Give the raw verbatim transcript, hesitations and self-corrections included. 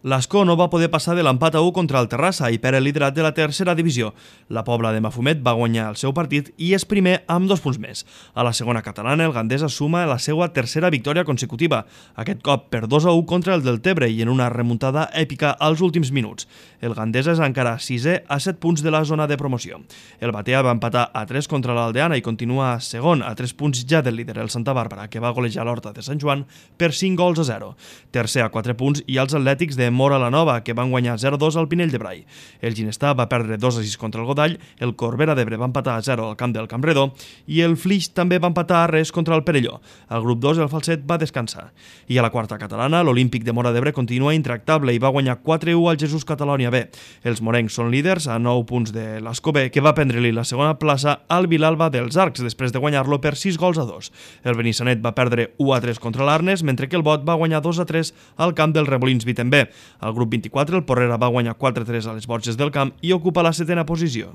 L'Ascó no va poder passar de l'empat a u contra el Terrassa i perd el liderat de la tercera divisió. La Pobla de Mafumet va guanyar el seu partit i és primer amb dos punts més. A la segona catalana, el Gandesa suma la seva tercera victòria consecutiva, aquest cop per dos a u contra el Deltebre i en una remuntada èpica als últims minuts. El Gandesa és encara sisè a set punts de la zona de promoció. El Batea va empatar a tres contra l'Aldeana i continua segon a tres punts ja del líder, el Santa Bàrbara, que va golejar l'Horta de Sant Joan per cinc gols a zero. Tercer a quatre punts i els Atlètics de Mora la Nova, que van guanyar zero a dos al Pinell de Brai. El Ginestà va perdre dos a sis contra el Godall, el Corbera d'Ebre va empatar a zero al camp del Campredó i el Flix també va empatar a res contra el Perelló. Al grup dos el Falset va descansar. I a la quarta catalana, l'Olímpic de Mora d'Ebre continua intractable i va guanyar quatre a u al Jesús Catalònia B. Els morencs són líders a nou punts de l'Ascó B, que va prendre-li la segona plaça al Vilalba dels Arcs després de guanyar-lo per sis gols a dos. El Benissanet va perdre u a tres contra l'Arnes, mentre que el Bot va guanyar dos a tres al camp del Remolins Vitem B. Al grup vint-i-quatre, el Porrera va guanyar quatre a tres a les Borges del Camp i ocupa la setena posició.